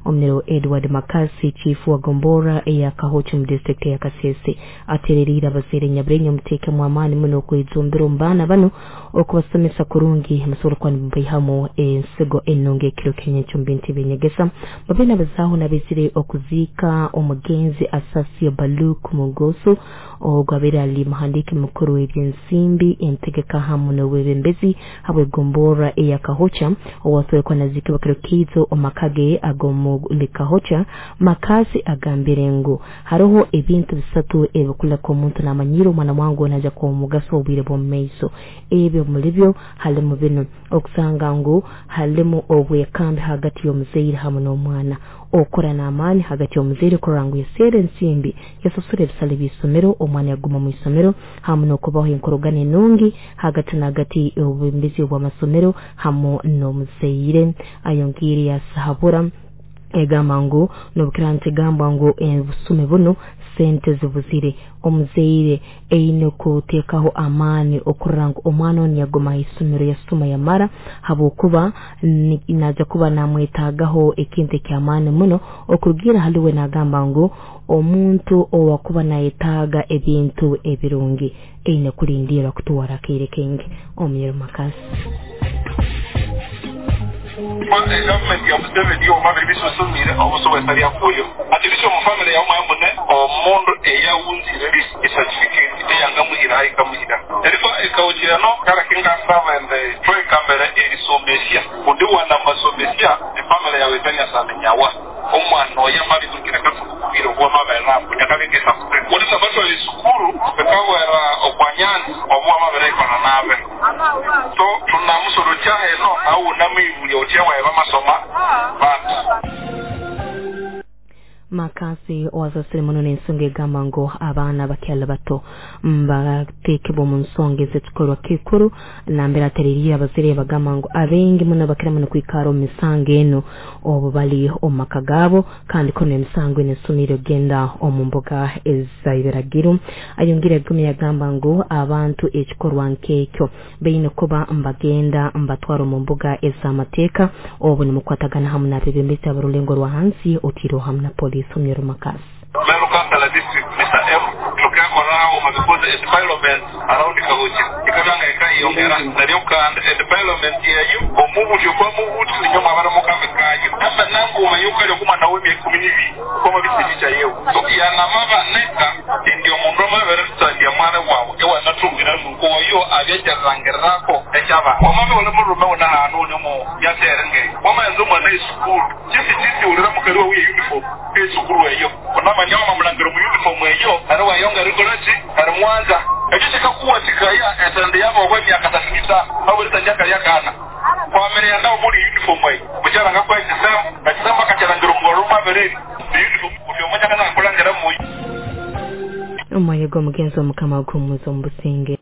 Omunyoro Edward Makasi, chifu wa Gombora eya Kahocho mu district ya Kasese, atereriire abazaire Nyabirenyo muteekemu amaani muno okwejumbira omu baana banu okubasomesa kurungi musobole kuba nibaihamu ensigo enungi ekiro ky'enyenkya omu bintu ebyenyegesa. Babe nabazaaho nabezire okuziika omugenzi Asasio Baluk Mugoso, ogwo abaire ali muhandiiki mukuru w'ebyensimbi, entegeka hamu n'obwebembezi habw'egombora eya Kahocha, owasoboire kuba naziikibwa kiro kiizo omu maka ge ag'omuli Kahocha. Makasi agambire ngu haroho ebintu bisatu ebikuleka omuntu namanyiire omwana wange naija kuba omugaso obwire bw'omu maiso. Ebyo muli byo halimu binu: okusanga ngu halimu obwekambi hagati y'omuzaire hamu n'omwana, okukora n'amaani hagati y'omuzaire kurora ngu yaseera ensimbi, yasasura ebisale by'isomero, omwana yaguma mu isomero, hamu n'okubaho enkorogana enungi hagati n'hagati y'obwebembezi obw'amasomero hamu n'omuzaire. Ayongiire yasahabura egamba ngu nobukira ntigambwa ngu obusumi buno sente zibuzire, omuzaire eine kuteekaho amaani okurora ngu omwana onu yaguma ha isomero yasoma yamara, habwokuba naija kuba namwetaagaho ekintu eky'amaani muno. Okurugiira hali we nagamba ngu omuntu owakuba nayetaaga ebintu ebirungi eine kulindirra kutwara akaire kaingi. Omunyoro Makasi. Gavumenti ya Museveni omabiri bisusumire obusobwesa lyakuyo ati lisho mu family yawe mwamune omundu eyawunzire ecertificate eyangamuhira haikamuhira eriko ekawukirano kara kingasaba ende twekambere erisomesya kundi wana masomesya efamily yawe etanyasamenyawa omwana oyo amabitukira kasukubiro obwamabere kunyakabekesa kulisa batwala esukuru ekawera okwanyanzi obwamabere ikona nabe so tunamusoro kyaheno au namwibulya otya waeba masoma bantu. Makasi owasasire muno n'ensonga egamba ngu abaana bakyali bato mbateekebwa omu nsonga ez'ekikorwa kikuru, nambere atereriire abazaire bagamba ngu abaingi muno bakira muno kwikara omu misango enu obu bali omu maka gaabo, kandi kono emisango enu esumiire kugenda omu mbuga ez'ebiragiro. Ayongire agumya yagamba ngu abantu ekikorwa nk'ekyo baine kuba mbagenda mbatwara omu mbuga ez'amateeka obu nimukwatagana hamu n'abebembezi ab'orulengo rwa hansi otiireho hamu na poliisi. Omunyoro Makasi. Meru Kansala District Mr. M tukekoraho because environment around Kahocha ikabanga ikayongera naryo kandi environment yeyu omubuti okwa mubuti ninyoma abana mukambe kanyu hasa nangu mayuka lyo kumwana w'emyaka 12 koma bisibicha yewe so yanamaba neka ndio mundu amabere tutandya mwana wawe ewa natungira nuko oyo abyajarangerako ekyaba wamame ole murume ona hanu onemo yaterenge wamayenza omwana esukuru chisi chisi ulira mukali wawe uniform esukuru eyo onamanya wamamulangiro mu uniform eyo ari wayonga rikolaki ari mwanza ekyo kikakuwa kikaya etende yabo okwemyaka 35 awulitanjaka lyakana kwamere yandao muri uniform eyo mukyaranga kwa ekisambu ekisambu akakyarangiro mu mabereri uniform ofyomanya kana kulangira mu omwoyo gw'omugenzi omukama gumuza omu businge.